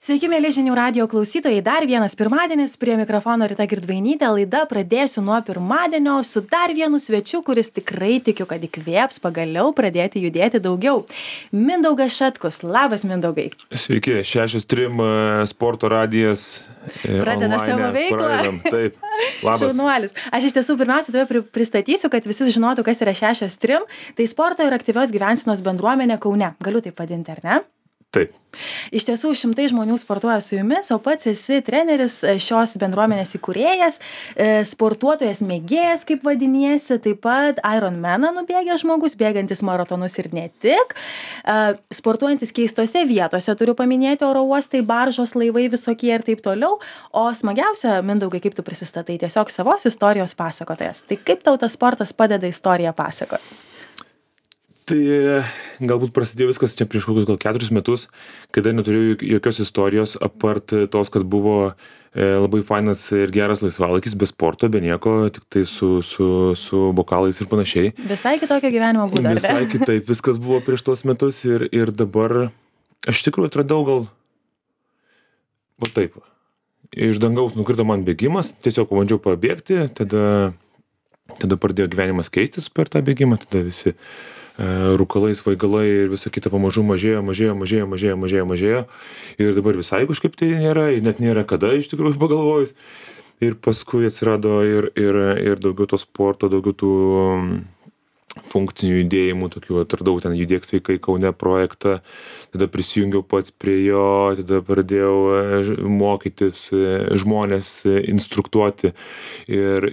Sveiki, mėly žinių radijo klausytojai. Dar vienas pirmadienis, prie mikrofono Rita Girdvainytė. Laida pradėsiu nuo pirmadienio su dar vienu svečiu, kuris tikrai tikiu, kad įkvėps pagaliau pradėti judėti daugiau. Mindaugas Šetkus. Labas, Mindaugai. Sveiki, 6.3 sporto radijas. Pradeda savo veiklą. Pradedam, taip. Labas. Šaunuolis. Aš iš tiesų pirmiausia tave pristatysiu, kad visi žinotų, kas yra 6.3. Tai sporto ir aktyvios gyvensenos bendruomenė Kaune. Galiu taip vadinti, ar ne? Taip. Iš tiesų šimtai žmonių sportuoja su jumis, o pats esi treneris, šios bendruomenės įkūrėjas, sportuotojas mėgėjas, kaip vadiniesi, taip pat Ironmaną nubėgęs žmogus, bėgantis maratonus ir ne tik, sportuojantis keistose vietose, turiu paminėti oro uostai, baržos, laivai visokie ir taip toliau, o smagiausia, Mindaugai, kaip tu prisistatai, tiesiog savos istorijos pasakotojas. Tai kaip tau tas sportas padeda istoriją pasakoti? Tai galbūt prasidėjo viskas čia prieš kokius gal 4 metus, kada neturėjau jokios istorijos, apart tos, kad buvo labai fainas ir geras laisvalaikis, be sporto, be nieko, tik tai su bokalais ir panašiai. Visai kitokio gyvenimo būdo. Visai kitaip viskas buvo prieš tos metus ir dabar aš iš tikrųjų atradau gal va taip. Iš dangaus nukrito man bėgimas, tiesiog pabandžiau pabėgti, tada pradėjo gyvenimas keistis per tą bėgimą, tada visi rūkalai, svaigalai ir visa kita pamažu mažėjo. Ir dabar visai kažkaip tai nėra, ir net nėra kada iš tikrųjų pagalvojus. Ir paskui atsirado ir daugiau to sporto, daugiau tų funkcinių judėjimų, tokių atradau ten Judėk sveikai Kaune projektą, tada prisijungiau pats prie jo, tada pradėjau mokytis žmonės, instruktuoti ir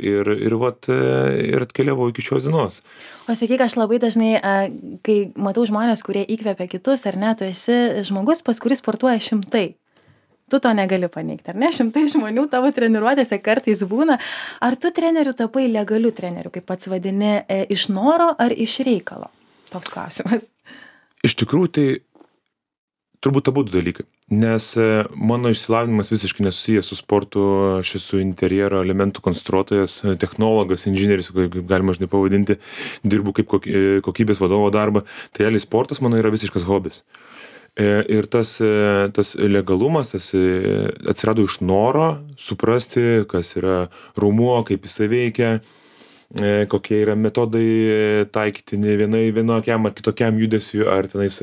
atkeliavau iki šios dienos. O sakyk, aš labai dažnai, kai matau žmonės, kurie įkvepia kitus, ar ne, tu esi žmogus, pas kuris sportuoja šimtai. Tu to negali paneigti, ar ne? Šimtai žmonių tavo treniruotėse kartais būna. Ar tu treneriu tapai legaliu treneriu, kaip pats vadini, iš noro ar iš reikalo? Toks klausimas. Iš tikrųjų, tai turbūt abu dalykai. Nes mano išsilavinimas visiškai nesusijęs su sportu, aš esu interjero elementų konstruotojas, technologas, inžinierius, kaip galima žinai pavadinti, dirbu kaip kokybės vadovo darbą. Tai realiai sportas mano yra visiškas hobis. Ir tas legalumas atsirado iš noro suprasti, kas yra raumuo, kaip jisai veikia, kokie yra metodai taikytini vienokiam ar kitokiam judesiui, ar tenais,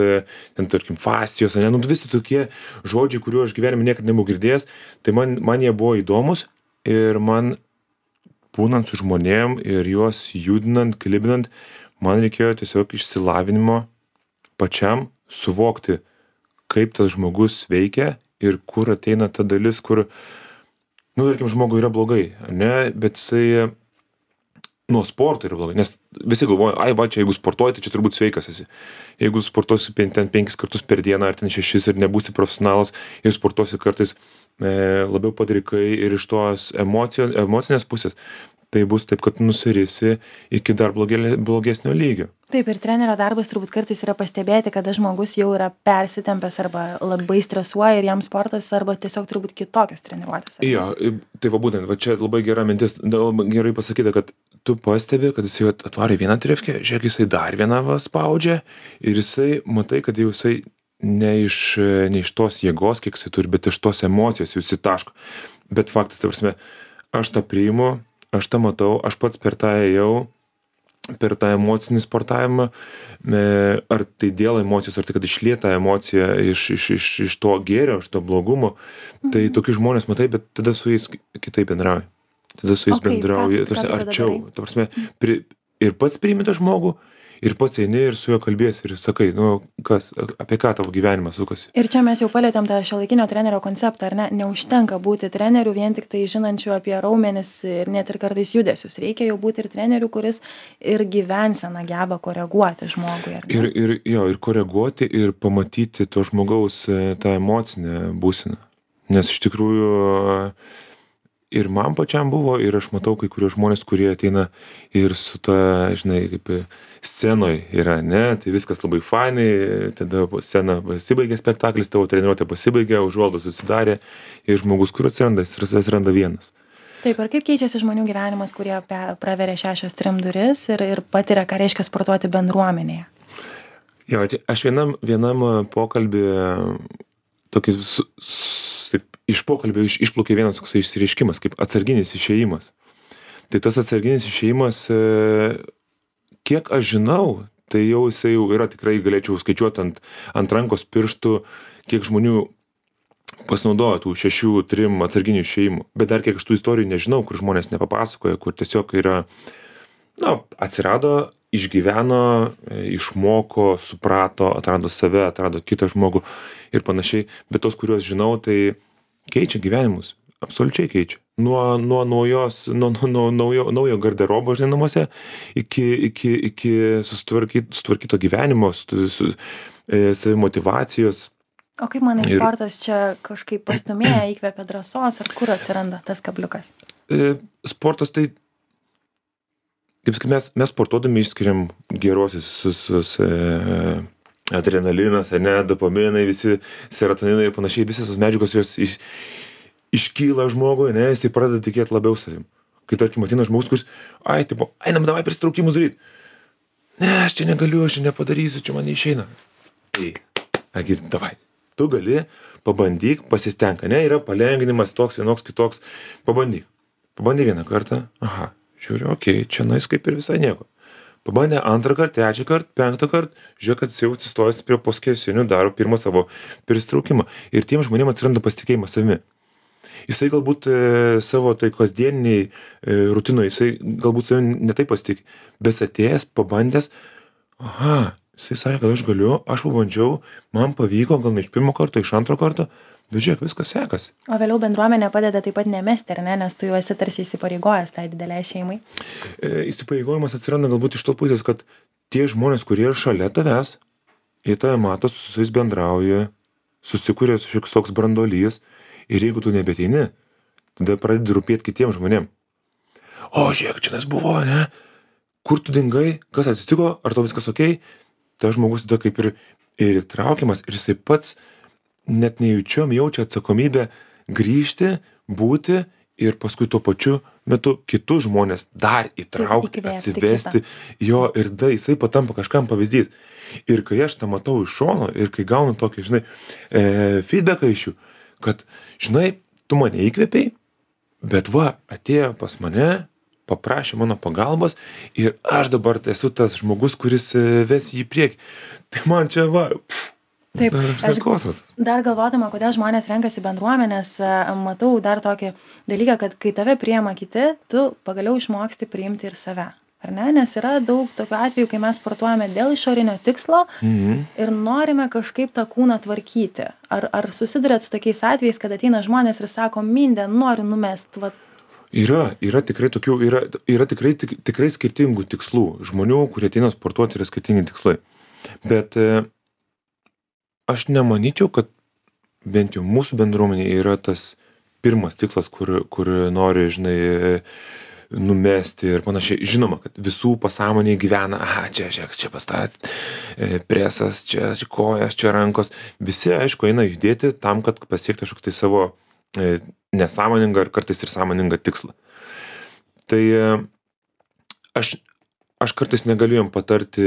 tarkim, fascijos, ne, visi tokie žodžiai, kuriuo aš gyvenime niekada nebuvau girdėjęs, tai man jie buvo įdomus ir man būnant su žmonėm ir juos judinant, klibinant, man reikėjo tiesiog išsilavinimo pačiam suvokti, kaip tas žmogus veikia ir kur ateina ta dalis, kur, tarkim, žmogui yra blogai, ne, bet jisai nuo sporto yra blogai, nes visi galvoja, čia jeigu sportuoji, tai čia turbūt sveikas esi. Jeigu sportuosi ten 5 kartus per dieną, ar ten 6 ir nebūsi profesionalas, ir sportuosi kartais labiau padrikai ir iš tos emocinės pusės, tai bus taip, kad nusirisi iki dar blogesnio lygio. Taip, ir trenerio darbas turbūt kartais yra pastebėti, kada žmogus jau yra persitempęs arba labai stresuoja ir jam sportas arba tiesiog turbūt kitokios treniruotės. Jo, tai būtent, čia labai gera mintis, gerai pasakyta, kad tu pastebi, kad jisai atvarė vieną trefkę, žiūrėk, jisai dar vieną spaudžia ir jisai, matai, kad jau jisai ne iš tos jėgos, kiek jisai turi, bet iš tos emocijos jau įsitaško. Bet faktas, ta prasme, aš tą priimu, aš tą matau, aš pats per tą ėjau, per tą emocinį sportavimą, ar tai dėl emocijos, ar tai, kad išlieta emocija iš to gėrio, iš to blogumo, tai tokius žmonės matai, bet tada su jais kitaip bendrauji. Tada su jais bendrauji, arčiau. Ta prasme, ir pats priimi tą žmogų, ir pats eini ir su juo kalbėsi ir sakai, apie ką tavo gyvenimas sukasi. Ir čia mes jau palietėm tą šiuolaikinio trenerio konceptą, ar ne? Neužtenka būti treneriu vien tik tai žinančiu apie raumenis ir net ir kartais judesius. Reikia jau būti ir treneriu, kuris ir gyvenseną geba koreguoti žmogui. Ar ne? Ir koreguoti ir pamatyti to žmogaus tą emocinę būseną. Nes iš tikrųjų ir man pačiam buvo, ir aš matau kai kurios žmonės, kurie ateina ir su ta, žinai, kaip scenoj yra, ne, tai viskas labai fainai, tada scena pasibaigė spektaklis, tavo treniruotė pasibaigė, užuolaidos susidarė ir žmogus, kur atsiranda vienas. Taip, ir kaip keičiasi žmonių gyvenimas, kurie praveria 6.3 duris ir patiria, ką reiškia sportuoti bendruomenėje? Jo, aš vienam pokalbį tokį taip, iš pokalbio išplaukė vienas toksai išsireiškimas, kaip atsarginis išėjimas. Tai tas atsarginis išėjimas, kiek aš žinau, tai jau jisai jau yra, tikrai galėčiau skaičiuoti ant rankos pirštų, kiek žmonių pasinaudoja tų 6-3 atsarginių išėjimų. Bet dar kiek aš tų istorijų nežinau, kur žmonės nepapasakoja, kur tiesiog yra, atsirado, išgyveno, išmoko, suprato, atrado save, atrado kitą žmogų ir panašiai. Bet tos, kuriuos žinau, tai keičia gyvenimus. Absoliučiai keičia. Nuo naujo garderobo, žinai, namuose, iki sutvarkyto gyvenimo, savimotyvacijos. O kaip manai, sportas čia kažkaip pastumėja, įkvepia drąsos, ar kur atsiranda tas kabliukas? Sportas tai, kaip sakyt, mes sportuodami išskiriam gerosius adrenalinas, dopaminai, visi serotoninai ir panašiai, visas tos medžiagos jos iškyla žmogui, jisai pradeda tikėti labiau savim. Kai tarkim ateina žmogus, kuris, einam davai prisitraukimus daryti. Ne, aš čia negaliu, aš čia nepadarysiu, čia man neišeina. Tai, davai. Tu gali, pabandyk, pasistenk, yra palengvinimas toks, vienoks, kitoks, pabandyk. Pabandė vieną kartą, žiūriu, čia nais kaip ir visai nieko. Pabandė antrą kartą, trečią kartą, penktą kartą, žiūrėk, kad jis jau atsistojęs prie poskesinių, daro pirmą savo pristraukimą. Ir tiem žmonėms atsiranda pasitikėjimas savimi. Jisai galbūt savo tai kasdieniniai rutinoje, jisai galbūt savimi netai pasitikė, bet atėjęs, pabandęs, jisai sakė, kad aš galiu, aš pabandžiau, man pavyko, gal ne iš pirmo karto, iš antro karto, bet žiūrėk, viskas sekasi. O vėliau bendruomenė padeda taip pat nemesti, ar ne, nes tu jau esi tarsi įsipareigojęs tai dideliai šeimai. Įsipareigojimas atsiranda galbūt iš to pusės, kad tie žmonės, kurie yra šalia tavęs, jie tave mato, su jais bendrauja, susikuria šioks toks branduolys ir jeigu tu nebeteini, tada pradedi rūpėti kitiem žmonėm. O, žiūrėk, čia nes buvo, ne? Kur tu dingai, kas atsitiko, ar tau viskas okei? Tas žmogus tada kaip ir įtraukiamas ir jisai pats net nejučiom jaučia atsakomybę grįžti, būti ir paskui tuo pačiu metu kitus žmonės dar įtraukti, atsivesti jo ir tada jisai patampa kažkam pavyzdys. Ir kai aš tą matau iš šono ir kai gaunu tokį, žinai, feedbacką iš jų, kad, žinai, tu mane įkvėpiai, bet atėjo pas mane, paprašė mano pagalbos ir aš dabar esu tas žmogus, kuris ves jį į priekį. Tai man čia Taip, dar galvodama, kodėl žmonės renkasi bendruomenės, matau dar tokį dalyką, kad kai tave priima kiti, tu pagaliau išmoksti priimti ir save. Ar ne? Nes yra daug tokių atvejų, kai mes sportuojame dėl išorinio tikslo ir norime kažkaip tą kūną tvarkyti. Ar susidurėt su tokiais atvejais, kad ateina žmonės ir sako, mindė, noriu numest, Yra tikrai tokių, yra tikrai skirtingų tikslų. Žmonių, kurie ateina sportuoti, yra skirtingi tikslai. Bet aš nemanyčiau, kad bent jau mūsų bendruomenė yra tas pirmas tikslas, kur nori, žinai, numesti ir panašiai. Žinoma, kad visų pasąmonėje gyvena, čia pastat, presas, čia kojas, čia rankos. Visi, aišku, eina judėti tam, kad pasiekti kažkokį tai savo nesąmoningą ar kartais ir sąmoningą tikslą. Tai aš kartais negaliu jam patarti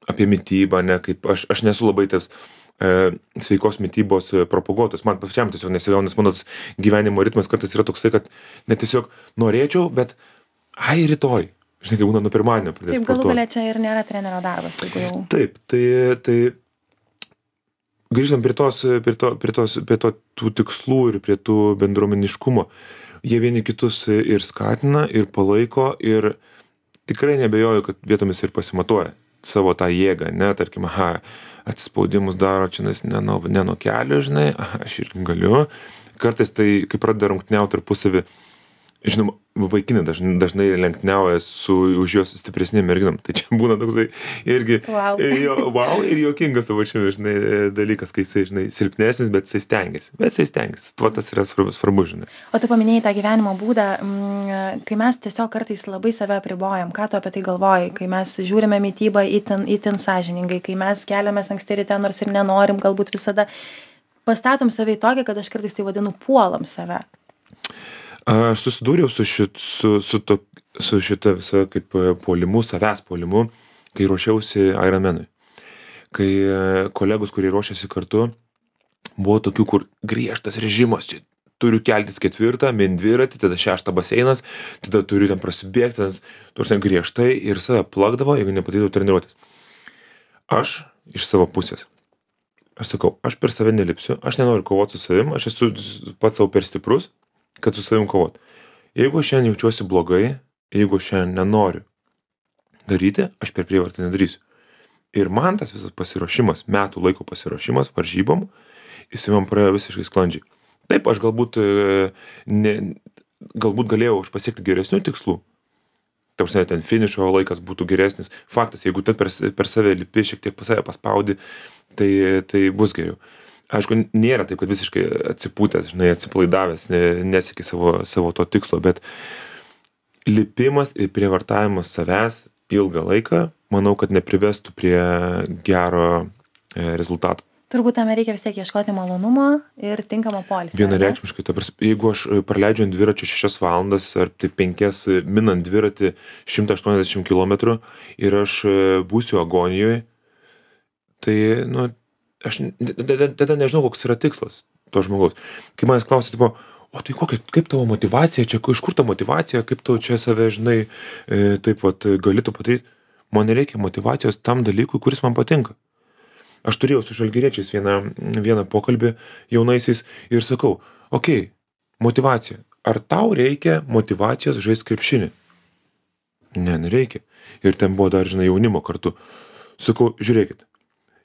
apie mitybą, kaip aš nesu labai tas sveikos mitybos propaguotojas. Man pačiam tiesiog nesigauna, nes mano gyvenimo ritmas kartais yra toksai, kad net tiesiog norėčiau, bet rytoj. Žinai, kai būna nuo pirmadienio pradės sportuoti. Taip, galų galia čia ir nėra trenerio darbas, jeigu jau. Taip, tai grįžtam prie tų tikslų ir prie tų bendruomeniškumo. Jie vieni kitus ir skatina, ir palaiko, ir tikrai nebejoju, kad vietomis ir pasimatuoja savo tą jėgą, tarkim, atsispaudimus daro čia ne nuo kelio, žinai, aš irgi galiu. Kartais tai, kai pradeda rungtyniauti tarpusavį, žinoma, vaikinai dažnai lenktyniauja už jos stipresnėm merginom. Tai čia būna toksai irgi ir juokingas tavo čia, žinai, dalykas, kai jisai, žinai, silpnesnis, bet jisai stengiasi. Tuo tas yra svarbu, žinai. O tu paminėjai tą gyvenimo būdą, kai mes tiesiog kartais labai save apribojam. Ką tu apie tai galvoji? Kai mes žiūrime mitybą itin sąžiningai, kai mes keliamės anksti ryte, nors ir nenorim, galbūt visada pastatom save į tokią, kad aš kartais tai vadinu puolam save. Aš susidūriau su šita visa kaip puolimu, savęs puolimu, kai ruošiausi Ironmanui. Kai kolegos, kurie ruošiasi kartu, Buvo tokių, kur griežtas režimas, čia turiu keltis 4, min dviratį, tada 6 baseinas, tada turiu ten prasibėgti, ten griežtai ir save plakdavo, jeigu nepadarydavau treniruotės. Aš iš savo pusės, aš sakau, aš per save nelipsiu, aš nenoriu kovoti su savim, aš esu pats savo per stiprus, kad su savim kovot. Jeigu aš šiandien jaučiuosi blogai, jeigu aš šiandien nenoriu daryti, aš per prievartą nedarysiu. Ir man tas visas pasiruošimas, metų laiko pasiruošimas varžybom, jis man praėjo visiškai sklandžiai. Taip, aš galbūt galėjau aš pasiekti geresnių tikslų. Ta prasme, ten finišo laikas būtų geresnis. Faktas, jeigu tu per save lipi, šiek tiek pas save paspaudi, tai bus geriau. Aišku, nėra taip, kad visiškai atsipūtęs, atsipalaidavęs, nesieki savo to tikslo, bet lipimas ir prievartavimas savęs ilgą laiką, manau, kad neprivestų prie gero rezultato. Turbūt tame reikia vis tiek ieškoti malonumo ir tinkamo poilsio. Vienareikšmiškai, jeigu aš praleidžiu ant dviračio 6 valandas ar tai 5 minant dviratį 180 km ir aš būsiu agonijoje, tai, aš tada nežinau, koks yra tikslas to žmogaus. Kai manęs klausia, tipo, o tai kaip tavo motyvacija, čia iš kur ta motyvacija, kaip tu čia save, taip vat galėtų padaryti, man nereikia motyvacijos tam dalykui, kuris man patinka. Aš turėjau su žalgiriečiais vieną pokalbį jaunaisiais ir sakau, okei, motyvacija. Ar tau reikia motyvacijos žaisti krepšinį? Ne, nereikia. Ir ten buvo dar, jaunimo kartu. Sakau, žiūrėkit,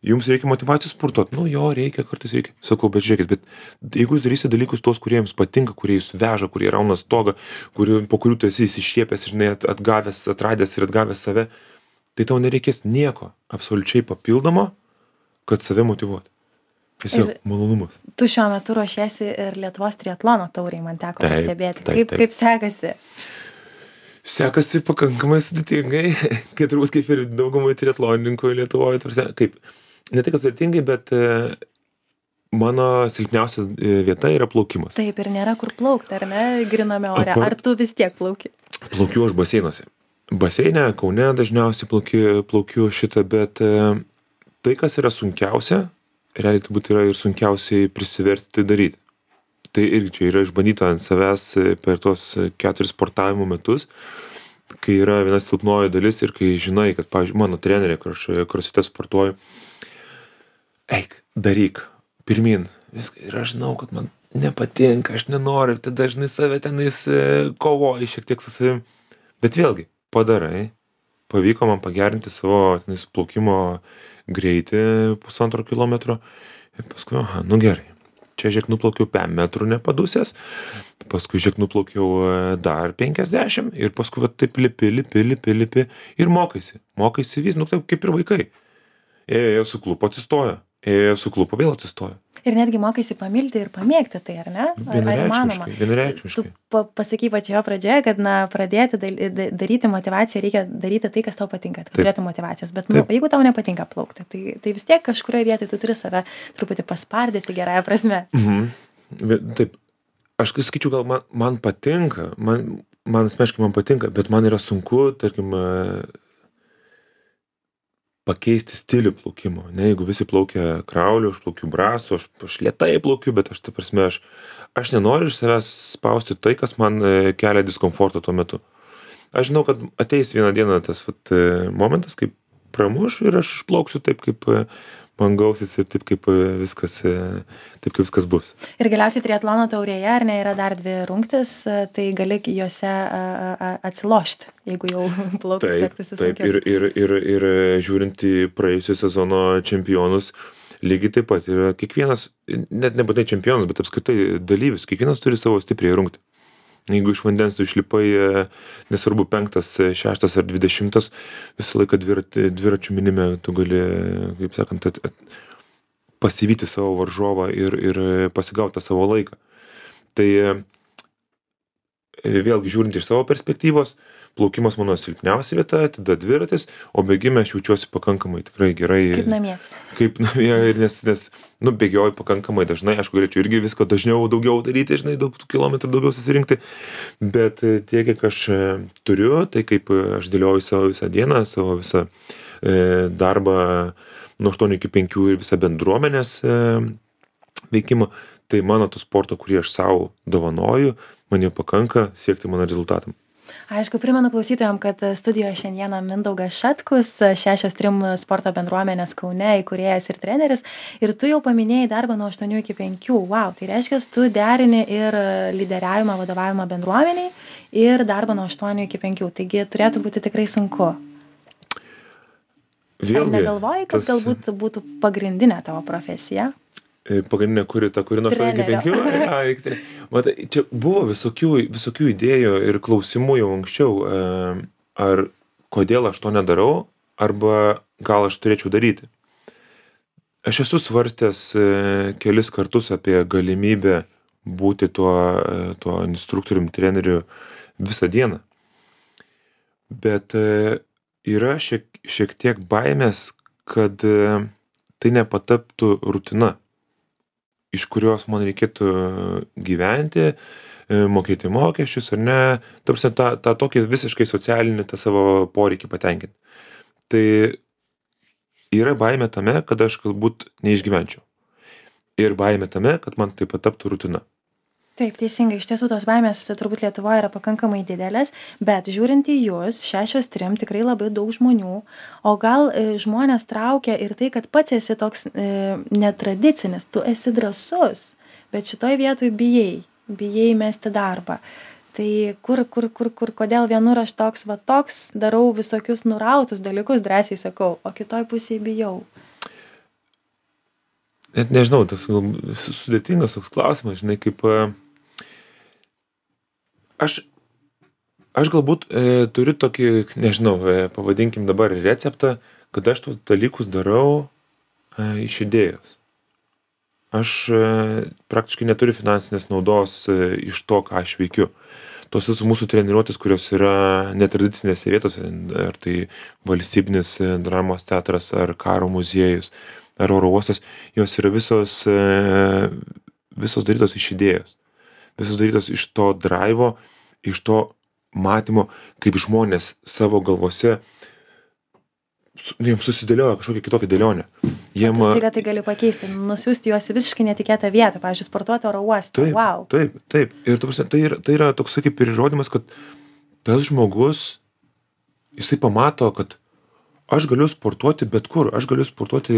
jums reikia motyvacijos sportuoti? Jo, reikia, kartais reikia. Sakau, bet žiūrėkit, bet jeigu jūs darysite dalykus tuos, kurie jums patinka, kurie jūs veža, kurie rauna stogą, po kurių tu esi įsišiepęs, atgavęs, atradęs ir atgavęs save, tai tau nereikės nieko absoliučiai papildomo, kad save motyvuoti. Tiesiog malonumas. Tu šiuo metu ruošiesi ir Lietuvos triatlono tauriai, man teko pastebėti. Kaip sekasi? Sekasi pakankamai sudėtingai, kai turbūt kaip ir daugumai triatlonininkų Lietuvoje. Kaip, ne tai, kad sudėtingai, bet mano silpniausia vieta yra plaukimas. Taip, ir nėra kur plaukti, ar ne, griname ore. Ar tu vis tiek plauki? Plaukiu aš baseinuose. Baseine, Kaune dažniausiai plaukiu šitą, bet tai, kas yra sunkiausia, realiai turbūt yra ir sunkiausiai prisiversti tai daryti. Tai irgi čia yra išbandyta ant savęs per tuos 4 sportavimo metus, kai yra viena silpnoji dalis ir kai žinai, kad, pavyzdžiui, mano trenerė, kur aš krosfite sportuoju, eik, daryk, pirmin, viską. Ir aš žinau, kad man nepatinka, aš nenoriu, tai dažnai save tenais kovoji šiek tiek su savim. Bet vėlgi, padarai, pavyko man pagerinti savo tenais plaukimo greitį 1,5 kilometro ir paskui, gerai, čia žiūrėk nuplaukiau 5 metrų nepadusęs, paskui žiūrėk nuplaukiau dar 50 ir paskui taip lipi ir mokaisi vis, taip kaip ir vaikai. Ėjo suklupo, atsistojo, vėl atsistojo. Ir netgi mokaisi pamilti ir pamėgti tai, ar ne? Vienareikšmiškai. Tu pasakai pačioje pradžioje, kad pradėti daryti motyvaciją reikia daryti tai, kas tau patinka, kad turėtų motyvacijos. Bet jeigu tau nepatinka plaukti, tai vis tiek kažkurioje vietoje tu turi save truputį paspardyti gerąją prasme. Taip, aš skaičiu, gal man patinka, man asmeniškai man patinka, bet man yra sunku, tarkim, pakeisti stilių plaukimo. Jeigu visi plaukia krauliu, aš plaukiu brasu, aš lėtai plaukiu, bet aš nenoriu iš savęs spausti tai, kas man kelia diskomfortą tuo metu. Aš žinau, kad ateis vieną dieną tas momentas, kaip pramuš ir aš išplauksiu taip, kaip man gausis ir taip, kaip viskas bus. Ir galiausiai triatlono taurėje, ar ne, yra dar 2 rungtys, tai gali juose atsilošti, jeigu jau plaukus sektųsi sunkiau. Taip, ir žiūrint į praėjusio sezono čempionus, lygiai taip pat yra kiekvienas, net nebūtinai čempionas, bet apskritai dalyvis, kiekvienas turi savo stipriai rungtį. Jeigu iš vandens tu išlipai, nesvarbu 5, 6 ar 20, visą laiką dviračių minime tu gali, kaip sakant, pasivyti savo varžovą ir pasigauti tą savo laiką. Tai vėlgi žiūrint iš savo perspektyvos, plaukimas mano silpniausia vieta, tada dviratis, o bėgime aš jaučiuosi pakankamai tikrai gerai. Kaip namie, nes bėgioju pakankamai dažnai, aš galėčiau irgi visko daugiau daryti, daug kilometrų daugiau susirinkti, bet tiek, kiek aš turiu, tai kaip aš dėlioju savo visą dieną, savo visą darbą nuo 8 iki 5 ir visą bendruomenės veikimo, tai mano to sporto, kurį aš savo dovanoju, man jau pakanka siekti mano rezultatam. Aišku, primenu klausytojams, kad studijoje šiandieną Mindaugas Šatkus, 6-3 sporto bendruomenės Kaune įkūrėjas ir treneris. Ir tu jau paminėjai darbą nuo 8 iki 5. Wow, tai reiškia, tu derini ir lyderiavimą, vadovavimą bendruomeniai ir darbą nuo 8 iki 5. Taigi turėtų būti tikrai sunku. Ar negalvoji, kad galbūt būtų pagrindinė tavo profesija? Pagrindinė kuri nuo 8 iki 5. Matai, čia buvo visokių idėjų ir klausimų jau anksčiau, ar kodėl aš to nedarau, arba gal aš turėčiau daryti. Aš esu svarstęs kelis kartus apie galimybę būti tuo instruktorium, treneriu visą dieną. Bet yra šiek tiek baimės, kad tai nepataptų rutina, iš kurios man reikėtų gyventi, mokėti mokesčius ar ne, tarsi tą tokį visiškai socialinį tą savo poreikį patenkinti. Tai yra baimė tame, kad aš galbūt neišgyvenčiau. Ir baimė tame, kad man tai pataptų rutina. Taip, teisingai, iš tiesų tos baimės turbūt Lietuvoje yra pakankamai didelės, bet žiūrint į jūs, 6-3 tikrai labai daug žmonių, o gal žmonės traukia ir tai, kad pats esi toks netradicinis, tu esi drąsus, bet šitoj vietoj bijai mesti darbą. Tai kodėl vienur aš toks, darau visokius nurautus dalykus, drąsiai sakau, o kitoj pusėje bijau. Net nežinau, tas sudėtingas toks klausimas, žinai, kaip aš galbūt turiu tokį, nežinau, pavadinkim dabar receptą, kad aš tos dalykus darau iš idėjos. Aš praktiškai neturiu finansinės naudos iš to, ką aš veikiu. Tos mūsų treniruotės, kurios yra netradicinėse vietose, ar tai valstybinis dramos teatras, ar karo muziejus, ar oro uostas, jos yra visos darytos iš idėjos. Visos darytos iš to draivo, iš to matymo, kaip žmonės savo galvose jiems susidėlioja kažkokią kitokią dėlionę. Tu staiga tai gali pakeisti, nusiųsti juos į visiškai netikėtą vietą, pavyzdžiui, sportuoti oro uoste. Taip, wow. Taip. Ir tai yra toks kaip ir įrodymas, kad tas žmogus, jisai pamato, kad aš galiu sportuoti bet kur, aš galiu sportuoti,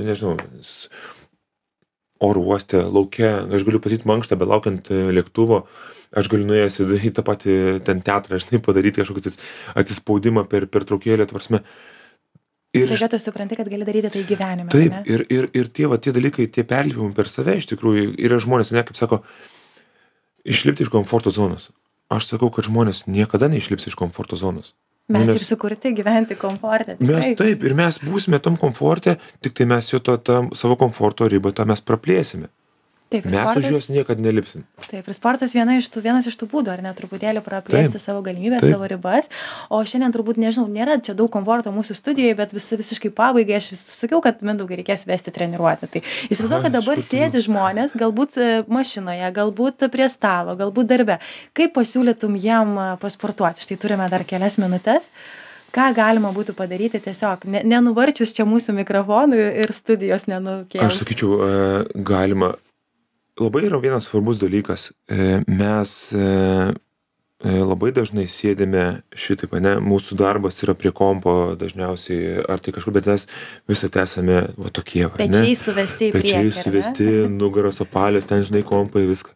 nežinau, oro uoste, lauke, aš galiu pasiti mankštą, belaukiant lėktuvo, aš galiu nuėjęs į tą patį ten teatrą, žinai, padaryti kažkokį atsispaudimą per traukėlę, tvarsme. Staiga tu supranti, kad gali daryti tai gyvenime. Taip, ne? ir tie dalykai, tie perlipimai per save, iš tikrųjų, yra žmonės, ne, kaip sako, išlipti iš komforto zonos. Aš sakau, kad žmonės niekada neišlips iš komforto zonos. Mes ir sukurti gyventi komforte. Taip, ir mes būsime tam komforte, tik tai mes jo savo komforto ribą tą mes praplėsime. Taip, mes sportas, už juos niekad nelipsim. Taip, ir sportas vienas iš tų būdų, ar ne, truputėlį praplėsti savo galimybės, savo ribas. O šiandien turbūt, nežinau, nėra čia daug komforto mūsų studijoje, bet visiškai pabaigai aš sakiau, kad Mindaugai reikės vesti treniruotę. Tai įsivaizduoju, kad dabar sėdi žmonės, galbūt mašinoje, galbūt prie stalo, galbūt darbe. Kaip pasiūlytum jiem pasportuoti? Štai turime dar kelias minutės. Ką galima būtų padaryti tiesiog, nenuvarčius čia mūsų mikrofonų ir studijos nenukėlus? Aš sakyčiau, galima. Labai yra vienas svarbus dalykas. Mes labai dažnai sėdime šitaip, ne, mūsų darbas yra prie kompo dažniausiai, ar tai kažkur, bet mes visą esame va tokie. Pečiai suvesti į priekį. Pečiai suvesti, nugaros apalės, ten žinai kompai, viską.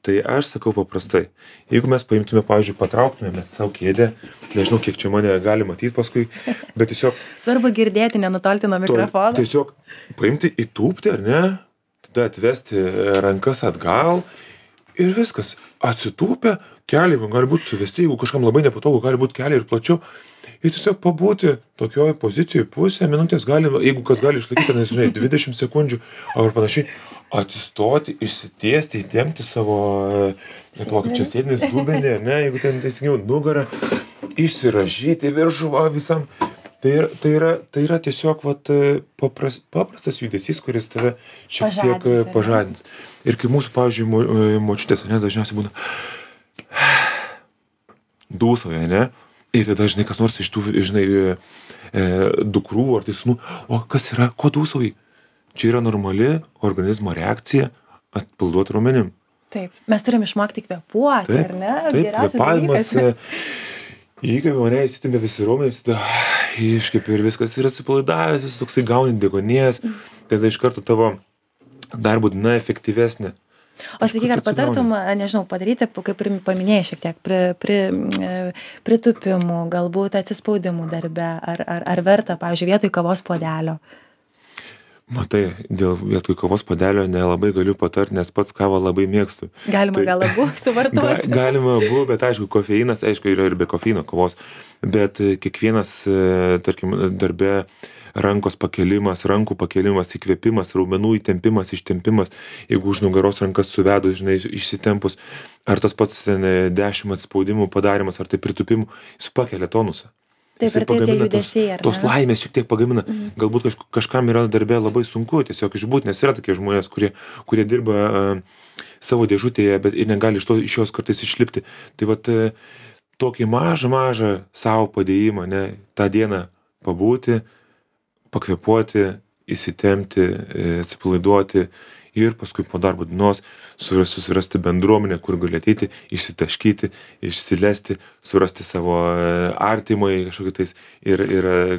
Tai aš sakau paprastai, jeigu mes paimtume, pavyzdžiui, patrauktume savo kėdę, nežinau, kiek čia mane gali matyti paskui, bet tiesiog... Svarbu girdėti, nenutolti nuo mikrofono. Tiesiog paimti, įtūpti, ar ne? Tada atvesti rankas atgal ir viskas. Atsitūpę, keliai gali būti suvesti, jeigu kažkam labai nepatogu, gali būti keliai ir plačiau. Ir tiesiog pabūti tokioje pozicijoje pusę minutės, jeigu kas gali išlaikyti, nežinai, 20 sekundžių ar panašiai, atsistoti, išsitiesti, įtempti savo, kaip čia sėdinis dubenį, ne, jeigu ten teisingiau nugarą, išsiražyti viršų visam. Tai yra tiesiog paprastas judesys, kuris tave šiek tiek pažadins. Ir kai mūsų, pavyzdžiui, močiutės, ne, dažniausiai būna dūsauja, ne? Ir tada, žinai, kas nors iš tų, žinai, dukrų ar tai sūnų, o kas yra, ko dūsauji? čia yra normali organizmo reakcija atpalaiduot raumenim. Taip, mes turim išmokti kvėpuoti, Taip, ar ne? taip, Geriausias kvėpavimas, dalykas. įkvėpia mane, įsitempia visi raumenys, tada iškvėpi ir viskas yra atsipalaidavęs, vis toksai gauni deguonies, tada iš karto tavo darbo diena efektyvesnė. O sakyk, ar patartum, nežinau, padaryti, kaip ir paminėjai šiek tiek, pritupimų, galbūt atsispaudimų darbe, ar verta, pavyzdžiui, vietoj kavos puodelio? Matai, dėl vietoj kavos puodelio nelabai galiu patart, nes pats kavą labai mėgstu. Galima gal abu suvartoti. Galima abu, bet aišku, kofeinas, aišku, yra ir be kofeino kavos, bet kiekvienas, tarkim, darbe rankos pakelimas, rankų pakelimas, įkvėpimas, raumenų įtempimas, ištempimas, jeigu už nugaros rankas suvedus, žinai, išsitempus, ar tas pats 10 atspaudimų padarimas, ar tai pritupimų, jis pakelia tonusą. Taip, ir tai tie judesiai, ar ne? Tos laimės šiek tiek pagamina. Galbūt kažkam yra darbe labai sunku tiesiog išbūt, nes yra tokie žmonės, kurie dirba savo dėžutėje, bet ir negali iš jos kartais išlipti. Tai vat tokį mažą savo padėjimą, ne, tą dieną pabūti, pakvėpuoti, įsitempti, atsipalaiduoti ir paskui po darbo dienos susirasti bendruomenę, kur gali ateiti, išsitaškyti, išsilesti, surasti savo artimai kažkokį tais ir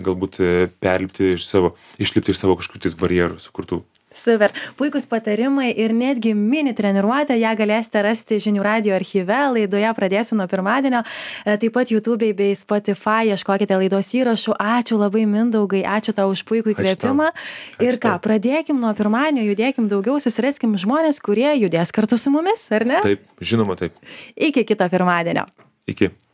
galbūt išlipti iš savo kažkokių tais barjerų sukurtų. Super. Puikus patarimai ir netgi mini treniruotę, ją galėsite rasti Žinių radijo archyve, laidoje pradėsiu nuo pirmadienio, taip pat YouTube bei Spotify, ieškokite laidos įrašų. Ačiū labai, Mindaugai, ačiū tau už puikų įkvėpimą. Ir ką, pradėkim nuo pirmadienio, judėkim daugiau, susiraskim žmonės, kurie judės kartu su mumis, ar ne? Taip, žinoma taip. Iki kito pirmadienio. Iki.